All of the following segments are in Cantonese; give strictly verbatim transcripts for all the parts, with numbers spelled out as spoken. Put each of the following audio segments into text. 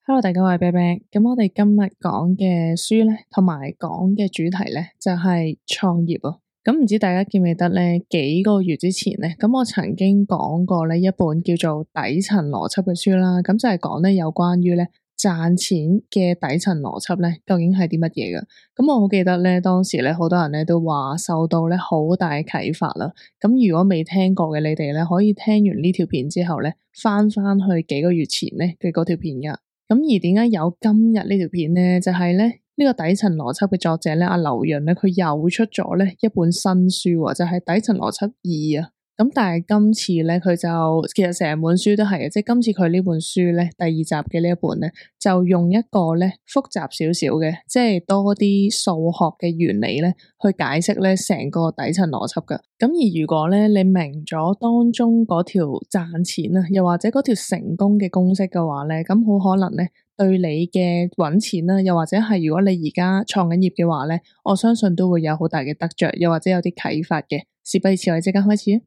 Hello，大家好，我係啤啤。咁我哋今日講嘅書咧，同埋講嘅主題咧，就係創業啊。咁唔知大家記唔記得咧？幾個月之前咧，咁我曾經講過咧一本叫做底層邏輯嘅書啦。咁就係講咧有關於咧賺錢嘅底層邏輯咧，究竟係啲乜嘢嘅？咁我好記得咧，當時咧好多人咧都話受到咧好大嘅啟發啦。咁如果未聽過嘅你哋咧，可以聽完呢條片之後咧，翻翻去幾個月前咧嘅嗰條片噶。咁而點解有今日呢條片咧？就係咧呢個底層邏輯嘅作者咧，阿劉潤咧，佢又出咗咧一本新書，就係底層邏輯二啊。咁但係今次咧，佢就其實成本書都係嘅，即係今次佢呢本書咧，第二集嘅呢一本咧，就用一個咧複雜少少嘅，即係多啲數學嘅原理咧，去解釋咧成個底層邏輯㗎。咁而如果咧你明咗當中嗰條賺錢啊，又或者嗰條成功嘅公式嘅話咧，咁好可能咧對你嘅搵錢啦，又或者係如果你而家創緊業嘅話咧，我相信都會有好大嘅得着，又或者有啲啟發嘅。事不宜遲，我哋即刻開始。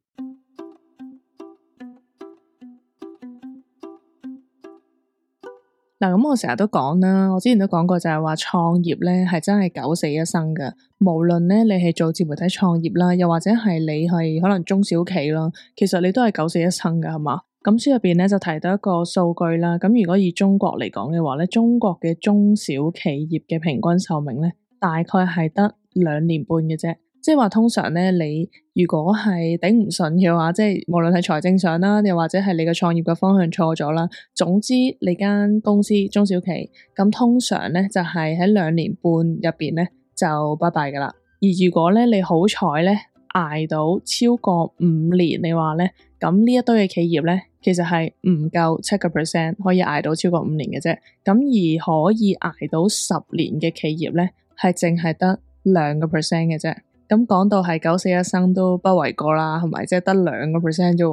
嗱，咁我成日都講啦，我之前都講過就係話創業咧係真係九死一生㗎。無論咧你係做自媒體創業啦，又或者係你係可能中小企啦，其實你都係九死一生㗎，係嘛？咁書入邊咧就提到一個數據啦。咁如果以中國嚟講嘅話咧，中國嘅中小企業嘅平均壽命咧，大概係得兩年半嘅啫。即係話通常咧，你如果係頂唔順嘅話，即係無論係財政上啦，又或者係你嘅創業嘅方向錯咗啦，總之你間公司中小企咁，通常咧就係喺兩年半入邊咧就拜拜噶啦。而如果咧你好彩咧捱到超過五年，你話咧咁呢一堆嘅企業咧，其實係唔夠七個 percent 可以捱到超過五年嘅啫。咁而可以捱到十年嘅企業咧，係淨係得兩個 percent 嘅啫。咁講到係九死一生都不為過啦，係咪？即係得兩個 percent 啫。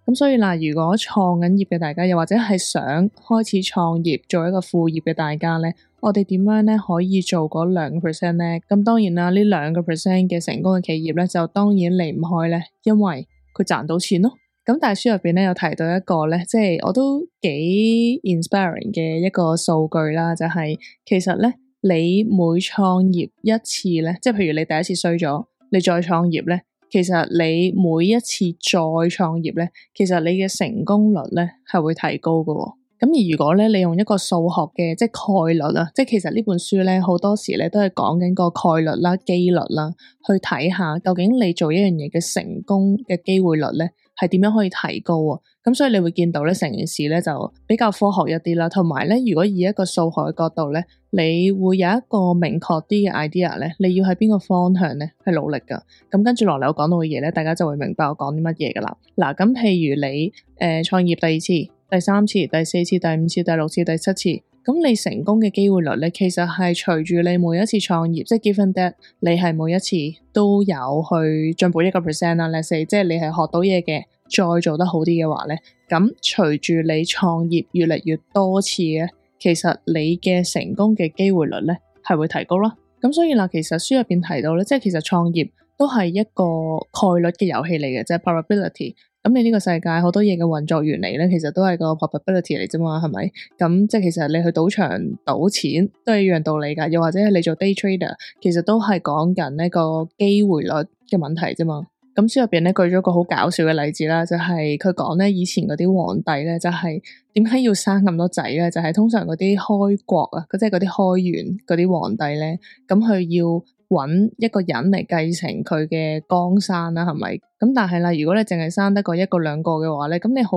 咁所以嗱，如果創緊業嘅大家，又或者係想開始創業做一個副業嘅大家咧，我哋點樣咧可以做嗰兩個 percent 咧？咁當然啦，呢兩個 percent 嘅成功嘅企業咧，就當然離唔開咧，因為佢賺到錢咯。咁但係書入邊咧有提到一個咧，即係我都幾 inspiring 嘅一個數據啦，就係其實咧。你每創業一次咧，即係譬如你第一次衰咗，你再創業咧，其實你每一次再創業咧，其實你嘅成功率咧係會提高㗎喎。咁而如果咧你用一個數學嘅即係概率啦，即係其實呢本書咧好多時咧都係講緊個概率啦、機率啦，去睇下究竟你做一樣嘢嘅成功嘅機會率咧係點樣可以提高啊。咁所以你會見到咧成件事咧就比較科學一啲啦，同埋咧如果以一個數學嘅角度咧，你會有一個明確啲嘅 idea 咧，你要喺邊個方向咧去努力噶。咁跟住落嚟我講到嘅嘢咧，大家就會明白我講啲乜嘢噶啦。嗱，咁譬如你誒創業第二次、第三次、第四次、第五次、第六次、第七次，咁你成功嘅機會率咧，其實係隨住你每一次創業，即係 give and that，你係每一次都有去進步一個 percent 啦。let's say，即係你係學到嘢嘅。再做得好啲嘅話咧，咁隨住你創業越嚟越多次咧，其實你嘅成功嘅機會率咧係會提高啦。咁所以嗱，其實書入邊提到咧，即係其實創業都係一個概率嘅遊戲嚟嘅，即係 probability。咁你呢個世界好多嘢嘅運作原理咧，其實都係個 probability 嚟啫嘛，係咪？咁即係其實你去賭場賭錢都係一樣道理噶，又或者係你做 day trader，其實都係講緊呢個機會率嘅問題啫嘛。咁書入邊咧舉咗個好搞笑嘅例子啦，就係佢講咧以前嗰啲皇帝咧，就係點解要生咁多仔咧？就係、是、通常嗰啲開國啊，即係嗰啲開元嗰啲皇帝咧，咁佢要揾一個人嚟繼承佢嘅江山啦，係咪？咁但係啦，如果你淨係生得個一個兩個嘅話咧，咁你好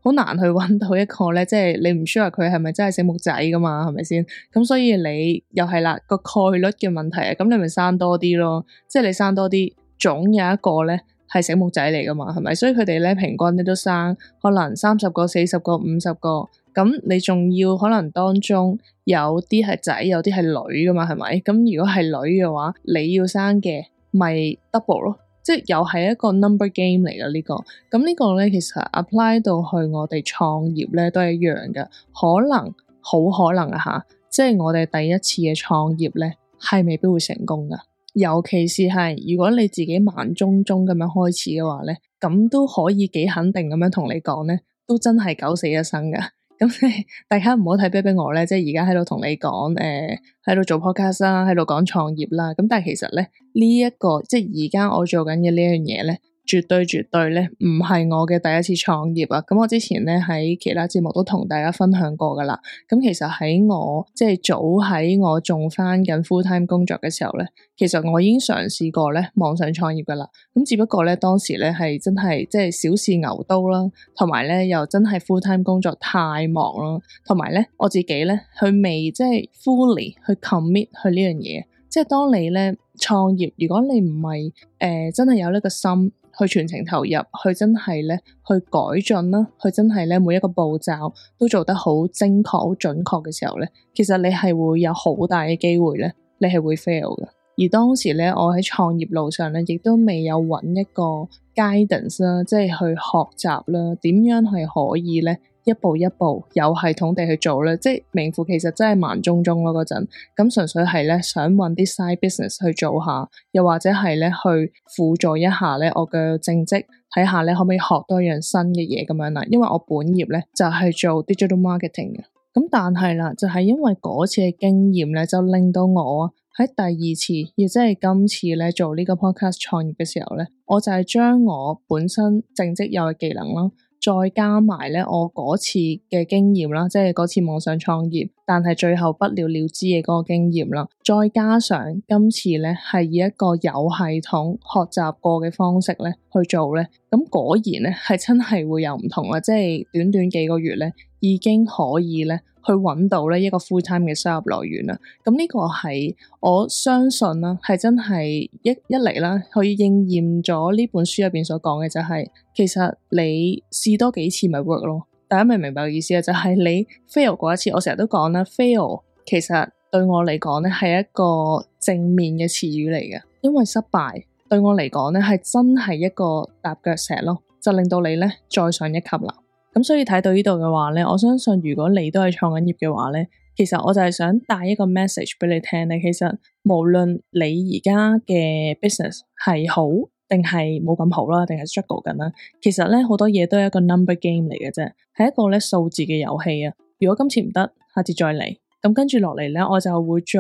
好難去揾到一個咧，即係你唔 sure 佢係咪真係醒目仔噶嘛？係咪先？咁所以你又係啦個概率嘅問題啊，咁你咪生多啲咯，即係你生多啲。總有一個咧係醒目仔嚟噶嘛，係咪？所以佢哋咧平均咧都生可能三十個、四十個、五十個，咁你仲要可能當中有啲係仔，有啲係女噶嘛，係咪？咁如果係女嘅話，你要生嘅咪 double 咯，即係又係一個 number game 嚟噶呢個。咁呢個咧其實 apply 到去我哋創業咧都係一樣嘅，可能好可能啊吓，即係我哋第一次嘅創業咧係未必會成功噶。尤其是係如果你自己慢中中咁樣開始嘅話咧，咁都可以幾肯定咁樣同你講咧，都真係九死一生噶。咁即係大家唔好睇啤啤我咧，即係而家喺度同你講誒喺度做 podcast 啦，喺度講創業啦。咁但係其實咧呢一個即係而家我做緊嘅呢樣嘢咧，絕對絕對咧唔係我嘅第一次創業啊！咁我之前咧喺其他節目都同大家分享過噶啦。咁其實喺我即係早喺我仲返緊 full time 工作嘅時候咧，其實我已經嘗試過咧網上創業噶啦。咁只不過咧當時咧係真係即係小試牛刀啦，同埋咧又真係 full time 工作太忙啦，同埋咧我自己咧佢未即係 fully 去 commit 去呢樣嘢。即係當你咧創業，如果你唔係誒真係有呢個心去全程投入，去真係咧去改進啦，去真係咧每一個步驟都做得好精確、好準確嘅時候咧，其實你係會有好大嘅機會咧，你係會 fail 嘅。而當時咧，我喺創業路上咧，亦都未有揾一個 guidance 啦，即係去學習啦，點樣係可以咧一步一步有系統地去做咧，即係名副其實真係盲中中咯嗰陣，咁純粹係咧想揾啲 side business 去做下，又或者係咧去輔助一下咧我嘅正職，睇下咧可唔可以學多樣新嘅嘢咁樣啦。因為我本業咧就係做 digital marketing 嘅，咁但係啦，就係因為嗰次嘅經驗咧，就令到我喺第二次，亦即係今次咧做呢個 podcast 創業嘅時候咧，我就係將我本身正職有嘅技能啦，再加埋咧我嗰次嘅經驗啦，即係嗰次網上創業，但係最後不了了之嘅嗰個經驗啦，再加上今次咧係以一個有系統學習過嘅方式咧去做咧，咁果然咧係真係會有唔同啦，即係短短幾個月咧已經可以咧去揾到咧一個 full time 嘅收入來源啦。咁呢個係我相信啦，係真係一一嚟啦，可以應驗咗呢本書入邊所講嘅就係、是，其實你試多幾次咪 work 咯。大家明唔明白嘅意思啊？就係、是、你 fail 過一次，我成日都講啦 fail 其實對我嚟講咧係一個正面嘅詞語嚟嘅，因為失敗對我嚟講咧係真係一個踏腳石咯，就令到你咧再上一級啦。咁所以睇到呢度嘅話咧，我相信如果你都係創緊業嘅話咧，其實我就係想帶一個 message 俾你聽咧。其實無論你而家嘅 business 係好定係冇咁好啦，定係 struggle 緊啦，其實咧好多嘢都係一個 number game 嚟嘅啫，係一個咧數字嘅遊戲啊。如果今次唔得，下次再嚟。咁跟住落嚟咧，我就會再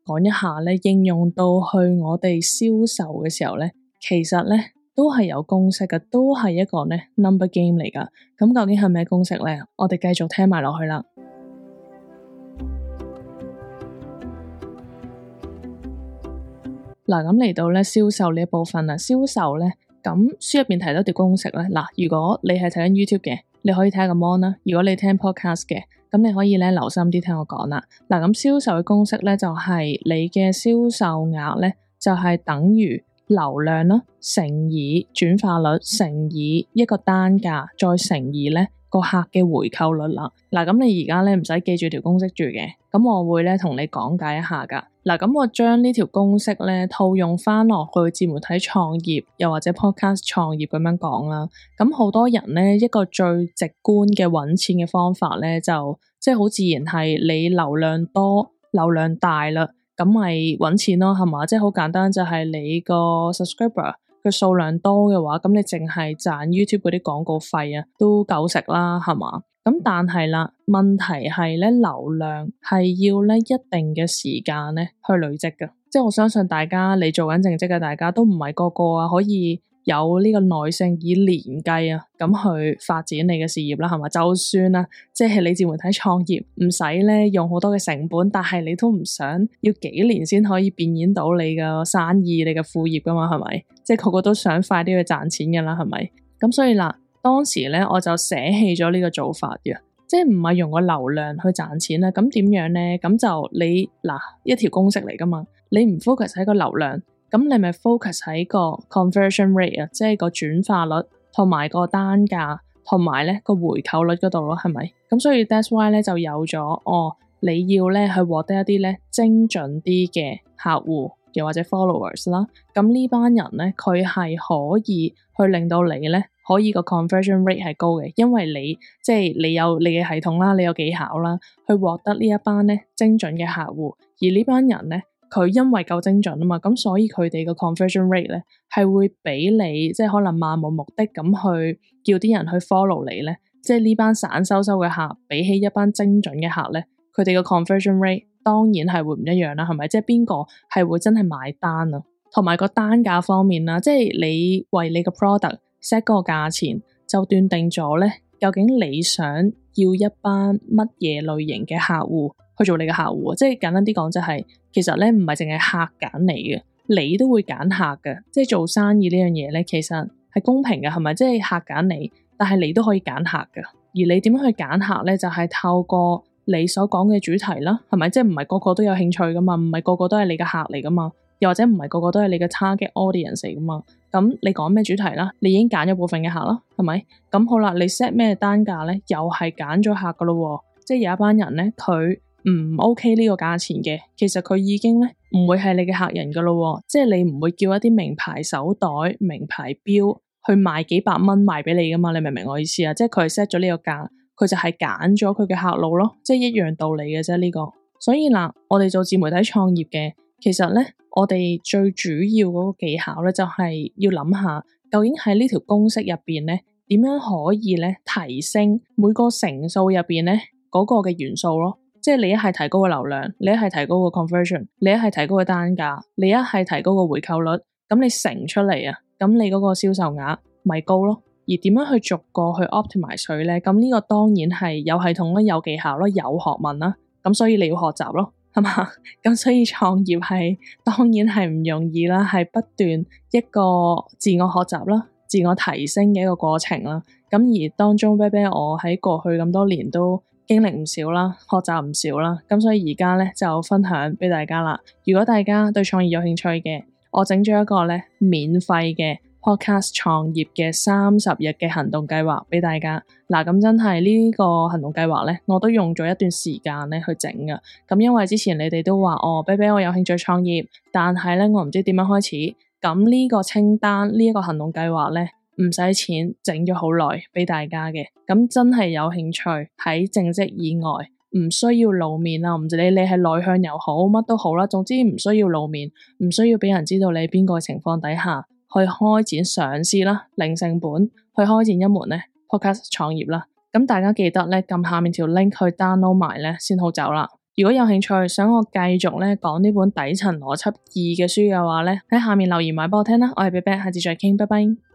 講一下咧，應用到去我哋銷售嘅時候咧，其實咧都係有公式嘅，都係一個咧 number game 嚟噶。咁究竟係咩公式咧？我哋繼續聽埋落去啦。嗱，咁嚟到咧銷售呢一部分啦，銷售咧，咁書入邊提到條公式咧。嗱，如果你係睇緊 YouTube 嘅，你可以睇下個 mon 啦；如果你聽 podcast 嘅，咁你可以咧留心啲聽我講啦。嗱，咁銷售嘅公式咧就係你嘅銷售額咧就係等於流量啦乘以轉化率乘以一個單價再乘以咧個客嘅回購率啦。嗱，咁你而家咧唔使記住條公式住嘅，咁我會咧同你講解一下噶。嗱，咁我將呢條公式咧套用翻落去自媒體創業又或者 podcast 創業咁樣講啦。咁好多人咧一個最直觀嘅揾錢嘅方法咧就即係好自然係你流量多流量大啦，咁咪揾錢咯，係嘛？即係好簡單，就係你個 subscriber 嘅數量多嘅話，咁你淨係賺 YouTube 嗰啲廣告費啊，都夠食啦，係嘛？咁但係啦，問題係咧，流量係要咧一定嘅時間咧去累積嘅。即係我相信大家你做緊正職嘅，大家都唔係個個啊可以有呢個耐性以年計啊咁去發展你嘅事業啦，係嘛？就算啦，即係你自媒體創業唔使咧用好多嘅成本，但係你都唔想要幾年先可以變現到你嘅生意、你嘅副業噶嘛？係咪？即係個個都想快啲去賺錢噶啦，係咪？咁所以啦，當時咧我就捨棄咗呢個做法嘅，即係唔係用個流量去賺錢啦。咁點樣咧？咁就你嗱一條公式嚟噶嘛，你唔 focus 喺個流量。咁你咪 focus 喺個 conversion rate 啊，即係個轉化率同埋個單價同埋咧個回購率嗰度咯，係咪？咁所以 that's why 咧就有咗哦，你要咧去獲得一啲咧精準啲嘅客戶又或者 followers 啦。咁呢班人咧佢係可以去令到你咧可以個 conversion rate 係高嘅，因為你即係、就是、你有你嘅系統啦，你有技巧啦，去獲得呢一班咧精準嘅客戶，而呢班人咧。佢因為夠精準啊嘛，咁所以佢哋個 conversion rate 咧係會俾你即係可能漫無目的咁去叫啲人去 follow 你咧，即係呢班散收收嘅客比起一班精準嘅客咧，佢哋嘅 conversion rate 當然係會唔一樣啦，係咪？即係邊個係會真係買單啊？同埋個單價方面啦，即係你為你個 product set 嗰個價錢，就斷定咗咧，究竟你想要一班乜嘢類型嘅客戶去做你嘅客戶。即係簡單啲講就係，其實咧唔係淨係客揀你嘅，你都會揀客嘅。即係做生意呢樣嘢咧，其實係公平嘅，係咪？即係客揀你，但係你都可以揀客嘅。而你點樣去揀客咧，就係透過你所講嘅主題啦，係咪？即係唔係個個都有興趣噶嘛，唔係個個都係你嘅客嚟噶嘛，又或者唔係個個都係你嘅 target audience 嚟噶嘛。咁你講咩主題啦？你已經揀咗部分嘅客啦，係咪？咁好啦，你 set 咩單價咧？又係揀咗客噶咯，即係有一班人咧，佢唔 OK 呢個價錢嘅，其實佢已經咧唔會係你嘅客人噶咯，即係你唔會叫一啲名牌手袋、名牌錶去賣幾百蚊賣俾你噶嘛？你明唔明我意思啊？即係佢係 set 咗呢個價，佢就係揀咗佢嘅客路咯，即係一樣道理嘅啫呢個。所以嗱，我哋做自媒體創業嘅，其實咧，我哋最主要嗰個技巧咧，就係要諗下，究竟喺呢條公式入邊咧，點樣可以咧提升每個乘數入邊咧嗰個嘅元素咯。即係你一係提高個流量，你一係提高個 conversion，你一係提高個單價，你一係提高個回購率，咁你乘出嚟啊，咁你嗰個銷售額咪高咯。而點樣去逐個去 optimize 佢咧？咁呢個當然係有系統啦、有技巧啦、有學問啦。咁所以你要學習咯，係嘛？咁所以創業係當然係唔容易啦，係不斷一個自我學習啦、自我提升嘅一個過程啦。咁而當中啤啤我喺過去咁多年都經歷唔少啦，學習唔少啦。咁所以而家咧就分享俾大家啦。如果大家對創業有興趣嘅，我整咗一個咧免費嘅 podcast 創業嘅三十日嘅行動計劃俾大家。嗱，咁真係呢個行動計劃咧，我都用咗一段時間咧去整㗎。咁因為之前你哋都話哦，啤啤我有興趣創業，但係咧我唔知點樣開始。咁呢個清單呢一個行動計劃咧，唔使錢，整咗好耐俾大家嘅。咁真係有興趣喺正職以外，唔需要露面啦，唔知你你係內向又好，乜都好啦，總之唔需要露面，唔需要俾人知道你邊個情況底下去開展上市啦，零成本去開展一門咧 podcast 創業啦。咁大家記得咧撳下面條 link 去 download 埋咧先好走啦。如果有興趣想我繼續咧講呢本底層邏輯二嘅書嘅話咧，喺下面留言埋俾我聽啦。我係啤啤，下次再傾，拜拜。